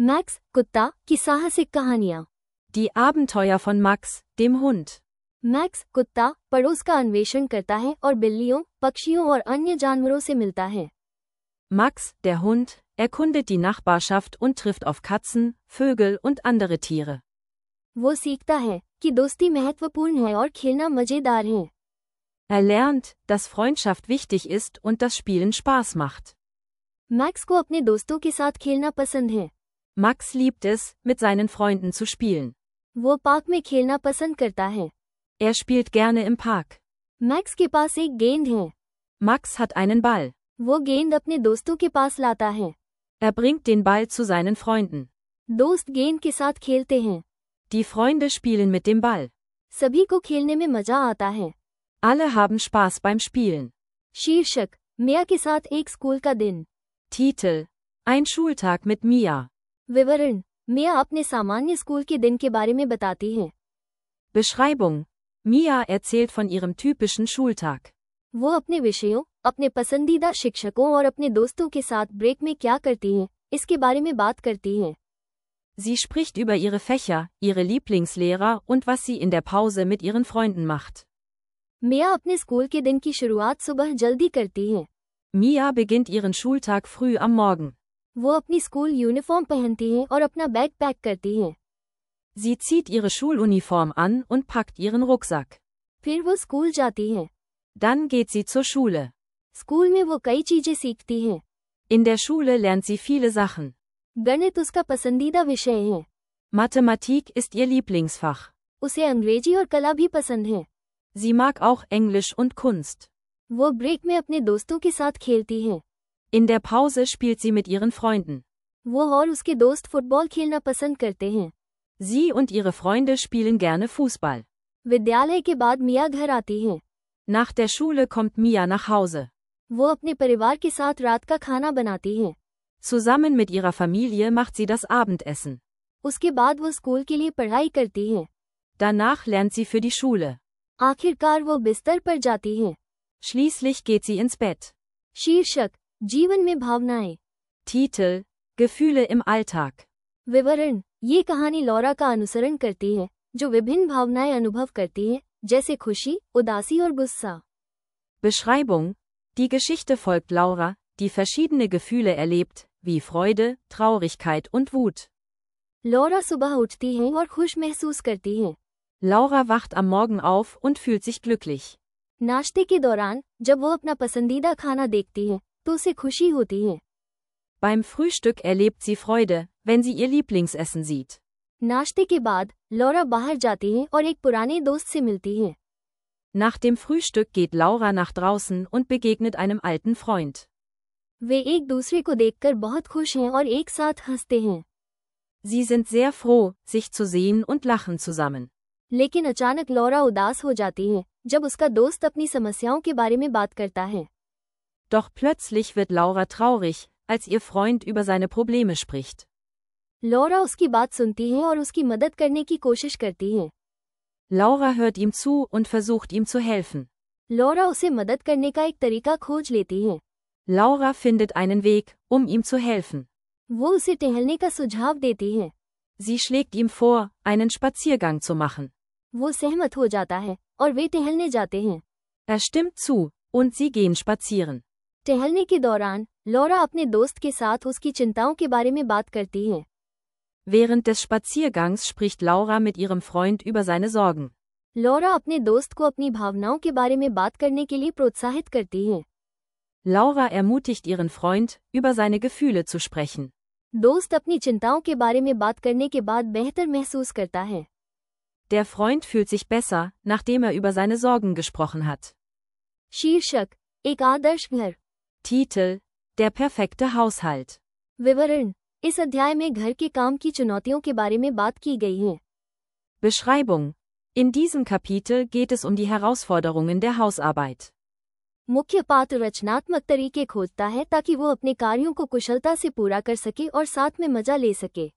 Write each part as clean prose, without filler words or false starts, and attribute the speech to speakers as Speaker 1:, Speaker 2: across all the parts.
Speaker 1: मैक्स कुत्ता की साहसिक कहानियाँ।
Speaker 2: Die Abenteuer von Max, dem Hund.
Speaker 1: Max कुत्ता पड़ोस का अन्वेषण करता है और बिल्लियों, पक्षियों और अन्य जानवरों से मिलता है।
Speaker 2: Max, der Hund, erkundet die Nachbarschaft und trifft auf Katzen, Vögel und andere Tiere.
Speaker 1: वो सीखता है कि दोस्ती महत्वपूर्ण है और खेलना मजेदार है।
Speaker 2: Er lernt, dass Freundschaft wichtig ist und das Spielen Spaß macht.
Speaker 1: Max को अपने दोस्तों के साथ खेलना पसंद है।
Speaker 2: Max liebt es, mit seinen Freunden zu spielen.
Speaker 1: वो पार्क में खेलना पसंद करता है।
Speaker 2: Er spielt gerne im Park.
Speaker 1: Max के पास एक गेंद है।
Speaker 2: Max hat einen Ball.
Speaker 1: वो गेंद अपने दोस्तों के पास लाता है।
Speaker 2: Er bringt den Ball zu seinen Freunden.
Speaker 1: दोस्त गेंद के साथ खेलते हैं।
Speaker 2: Die Freunde spielen mit dem Ball.
Speaker 1: सभी को खेलने में मजा आता है।
Speaker 2: Alle haben Spaß beim Spielen.
Speaker 1: शीर्षक, मिया के साथ एक स्कूल का दिन।
Speaker 2: Titel: Ein Schultag mit Mia.
Speaker 1: विवरण, मिया अपने सामान्य स्कूल के दिन के बारे में बताती है।
Speaker 2: Beschreibung: Mia erzählt von ihrem typischen Schultag.
Speaker 1: वो अपने विषयों, अपने पसंदीदा शिक्षकों और अपने दोस्तों के साथ ब्रेक में क्या करती है, इसके बारे में बात करती है।
Speaker 2: Sie spricht über ihre Fächer, ihre Lieblingslehrer und was sie in der Pause mit ihren Freunden macht.
Speaker 1: मिया अपने स्कूल के दिन की शुरुआत सुबह जल्दी करती है।
Speaker 2: Mia beginnt ihren Schultag früh am Morgen.
Speaker 1: वो अपनी स्कूल यूनिफॉर्म पहनती है और अपना बैग पैक करती है।
Speaker 2: Sie zieht ihre Schuluniform an und packt ihren Rucksack.
Speaker 1: फिर वो स्कूल जाती है।
Speaker 2: Dann geht sie zur Schule.
Speaker 1: School में वो कई चीजें सीखती है।
Speaker 2: In der Schule lernt sie viele Sachen.
Speaker 1: गणित उसका पसंदीदा विषय है।
Speaker 2: Mathematik ist ihr Lieblingsfach.
Speaker 1: उसे अंग्रेजी और कला भी पसंद है।
Speaker 2: Sie mag auch Englisch und Kunst.
Speaker 1: वो ब्रेक में अपने दोस्तों के साथ खेलती है।
Speaker 2: In der Pause spielt sie mit ihren Freunden.
Speaker 1: वो और उसके दोस्त फुटबॉल खेलना पसंद करते हैं।
Speaker 2: Sie und ihre Freunde spielen gerne Fußball.
Speaker 1: विद्यालय के बाद मिया घर आती है।
Speaker 2: Nach der Schule kommt Mia nach Hause.
Speaker 1: वो अपने परिवार के साथ रात का खाना बनाती है।
Speaker 2: Zusammen mit ihrer Familie macht sie das Abendessen.
Speaker 1: उसके बाद वो स्कूल के लिए पढ़ाई करती है।
Speaker 2: Danach lernt sie für die Schule.
Speaker 1: आखिरकार वो बिस्तर पर जाती है।
Speaker 2: Schließlich geht sie ins Bett.
Speaker 1: शीर्षक, जीवन में भावनाएं।
Speaker 2: Titel: Gefühle im Alltag.
Speaker 1: विवरण, ये कहानी लॉरा का अनुसरण करती है, जो विभिन्न भावनाएं अनुभव करती है, जैसे खुशी, उदासी और गुस्सा।
Speaker 2: Beschreibung: Die Geschichte folgt Laura, die verschiedene Gefühle erlebt, wie Freude, Traurigkeit und Wut.
Speaker 1: Laura सुबह उठती है और खुश महसूस करती है।
Speaker 2: Laura wacht am Morgen auf und fühlt sich glücklich.
Speaker 1: नाश्ते के दौरान, जब वो अपना पसंदीदा खाना देखती है, तो उसे खुशी होती है।
Speaker 2: Beim Frühstück erlebt sie Freude, wenn sie ihr Lieblingsessen sieht.
Speaker 1: नाश्ते के बाद, लॉरा बाहर जाती है और एक पुराने दोस्त से मिलती है।
Speaker 2: Nach dem Frühstück geht Laura nach draußen und begegnet einem alten Freund.
Speaker 1: वे एक दूसरे को देखकर बहुत खुश हैं और एक साथ हंसते हैं।
Speaker 2: Sie sind sehr froh, sich zu sehen und lachen zusammen.
Speaker 1: लेकिन अचानक लॉरा उदास हो जाती है, जब उसका दोस्त अपनी समस्याओं के बारे में बात करता है।
Speaker 2: Doch plötzlich wird Laura traurig, als ihr Freund über seine Probleme spricht.
Speaker 1: Laura उसकी बात सुनती है और उसकी मदद करने की कोशिश करती है।
Speaker 2: Laura hört ihm zu und versucht ihm zu helfen.
Speaker 1: Laura उसे मदद करने का एक तरीका खोज लेती है।
Speaker 2: Laura findet einen Weg, um ihm zu helfen.
Speaker 1: वो उसे टहलने का सुझाव देती है।
Speaker 2: Sie schlägt ihm vor, einen Spaziergang zu machen.
Speaker 1: वो सहमत हो जाता है और वे टहलने जाते हैं।
Speaker 2: Er stimmt zu, und sie gehen spazieren.
Speaker 1: टहलने के दौरान, लॉरा अपने दोस्त के साथ उसकी चिंताओं के बारे में बात करती है।
Speaker 2: Während des Spaziergangs spricht Laura mit ihrem Freund über seine Sorgen.
Speaker 1: Laura अपने दोस्त को अपनी भावनाओं के बारे में बात करने के लिए प्रोत्साहित करती है।
Speaker 2: Laura ermutigt ihren Freund, über seine Gefühle zu sprechen.
Speaker 1: दोस्त अपनी चिंताओं के बारे में बात करने के बाद बेहतर महसूस करता है।
Speaker 2: Der Freund fühlt sich besser, nachdem er über seine Sorgen gesprochen hat.
Speaker 1: शीर्षक, एक आदर्श घर।
Speaker 2: Titel: Der perfekte Haushalt.
Speaker 1: विवरण, इस अध्याय में घर के काम की चुनौतियों के बारे में बात की गई है।
Speaker 2: Beschreibung: In diesem Kapitel geht es um die Herausforderungen der Hausarbeit.
Speaker 1: मुख्य पात्र रचनात्मक तरीके खोजता है ताकि वो अपने कार्यों को कुशलता से पूरा कर सके और साथ में मजा ले सके।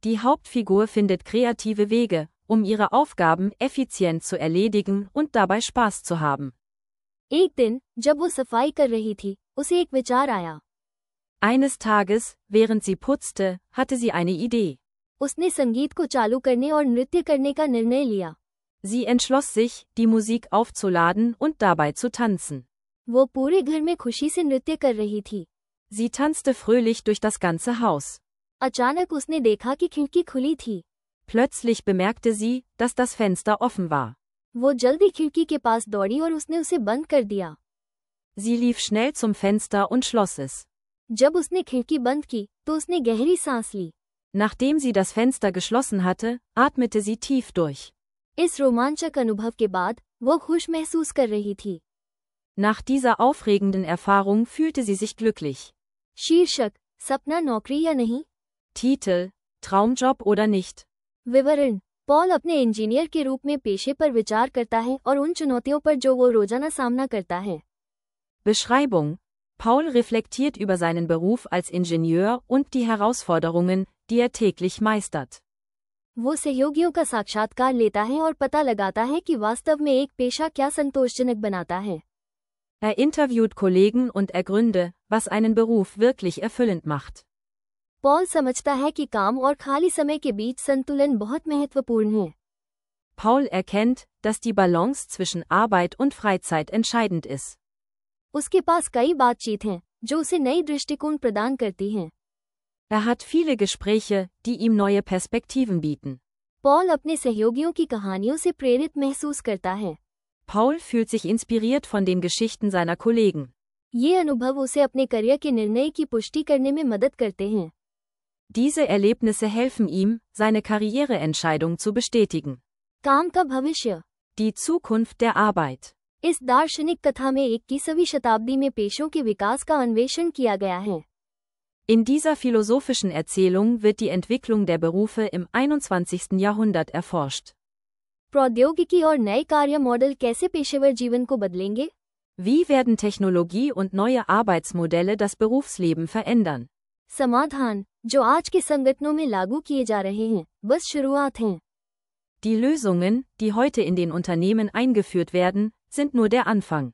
Speaker 2: Die Hauptfigur findet kreative Wege, um ihre Aufgaben effizient zu erledigen und dabei Spaß zu haben.
Speaker 1: एक दिन, जब वो सफाई कर रही थी, उसे एक विचार आया।
Speaker 2: Eines Tages, während sie putzte, hatte sie eine Idee.
Speaker 1: उसने संगीत को चालू करने और नृत्य करने का निर्णय लिया।
Speaker 2: Sie entschloss sich, die Musik aufzuladen und dabei zu tanzen.
Speaker 1: वो पूरे घर में खुशी से नृत्य कर रही थी।
Speaker 2: Sie tanzte fröhlich durch das ganze Haus.
Speaker 1: अचानक उसने देखा कि खिड़की खुली थी।
Speaker 2: Plötzlich bemerkte sie, dass das Fenster offen war.
Speaker 1: वो जल्दी खिड़की के पास दौड़ी और उसने उसे बंद कर दिया।
Speaker 2: Sie lief schnell zum Fenster und schloss es.
Speaker 1: जब उसने खिड़की बंद की, तो उसने गहरी सांस ली।
Speaker 2: Nachdem sie das Fenster geschlossen hatte, atmete sie tief durch.
Speaker 1: इस रोमांचक अनुभव के बाद वो खुश महसूस कर रही थी।
Speaker 2: Nach dieser aufregenden Erfahrung fühlte sie sich glücklich.
Speaker 1: शीर्षक, सपना नौकरी या नहीं?
Speaker 2: Titel, Traumjob oder nicht?
Speaker 1: विवरण, पॉल अपने इंजीनियर के रूप में पेशे पर विचार करता है और उन चुनौतियों पर जो वो रोजाना सामना करता है।
Speaker 2: Beschreibung: Paul reflektiert über seinen Beruf als Ingenieur und die Herausforderungen, die er täglich meistert.
Speaker 1: वो सहयोगियों का साक्षात्कार लेता है और पता लगाता है कि वास्तव में एक पेशा क्या संतोषजनक बनाता है।
Speaker 2: Er interviewt Kollegen und ergründe, was einen Beruf wirklich erfüllend macht.
Speaker 1: Paul समझता है कि काम और खाली समय के बीच संतुलन बहुत महत्वपूर्ण है।
Speaker 2: Paul erkennt, dass die Balance zwischen Arbeit und Freizeit entscheidend ist.
Speaker 1: उसके पास कई बातचीत हैं, जो उसे नई दृष्टिकोण प्रदान करती हैं।
Speaker 2: Er hat viele Gespräche, die ihm neue Perspektiven bieten.
Speaker 1: Paul अपने सहयोगियों की कहानियों से प्रेरित महसूस करता है।
Speaker 2: Paul fühlt sich inspiriert von den Geschichten seiner Kollegen.
Speaker 1: ये अनुभव उसे अपने करियर के निर्णय की पुष्टि करने में मदद करते हैं।
Speaker 2: Diese Erlebnisse helfen ihm, seine Karriereentscheidung zu bestätigen.
Speaker 1: काम का भविष्य।
Speaker 2: Die Zukunft der Arbeit.
Speaker 1: इस दार्शनिक कथा में 21वीं शताब्दी में पेशों के विकास का अन्वेषण किया गया है।
Speaker 2: In dieser philosophischen Erzählung wird die Entwicklung der Berufe im 21. Jahrhundert erforscht.
Speaker 1: प्रौद्योगिकी और नए कार्य मॉडल कैसे पेशेवर जीवन को बदलेंगे?
Speaker 2: Wie werden Technologie und neue Arbeitsmodelle das Berufsleben verändern?
Speaker 1: समाधान, जो आज के संगठनों में लागू किए जा रहे हैं, बस शुरुआत हैं।
Speaker 2: Die Lösungen, die heute in den Unternehmen eingeführt werden, sind nur der Anfang.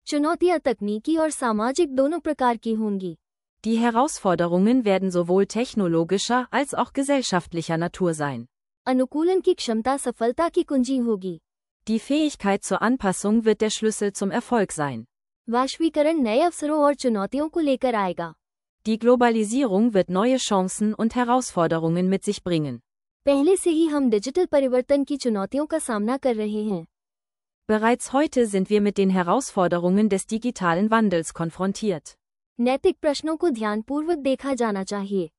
Speaker 1: चुनौतियां तकनीकी और सामाजिक दोनों प्रकार की होंगी।
Speaker 2: Die Herausforderungen werden sowohl technologischer als auch gesellschaftlicher Natur sein.
Speaker 1: अनुकूलन की क्षमता सफलता की कुंजी होगी।
Speaker 2: Die Fähigkeit zur Anpassung wird der Schlüssel zum Erfolg sein.
Speaker 1: वैश्वीकरण नए अवसरों और चुनौतियों को लेकर आएगा।
Speaker 2: Die Globalisierung wird neue Chancen und Herausforderungen mit sich bringen.
Speaker 1: पहले से ही हम डिजिटल परिवर्तन की चुनौतियों का सामना कर रहे हैं।
Speaker 2: Bereits heute sind wir mit den Herausforderungen des digitalen Wandels konfrontiert.
Speaker 1: नैतिक प्रश्नों को ध्यानपूर्वक देखा जाना चाहिए।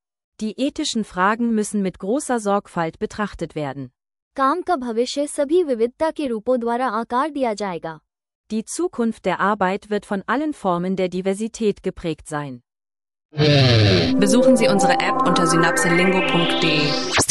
Speaker 2: Die ethischen Fragen müssen mit großer Sorgfalt betrachtet werden.
Speaker 1: काम का भविष्य सभी विविधता के रूपों द्वारा आकार दिया जाएगा।
Speaker 2: Die Zukunft der Arbeit wird von allen Formen der Diversität geprägt sein.
Speaker 3: Besuchen Sie unsere App unter synapselingo.de.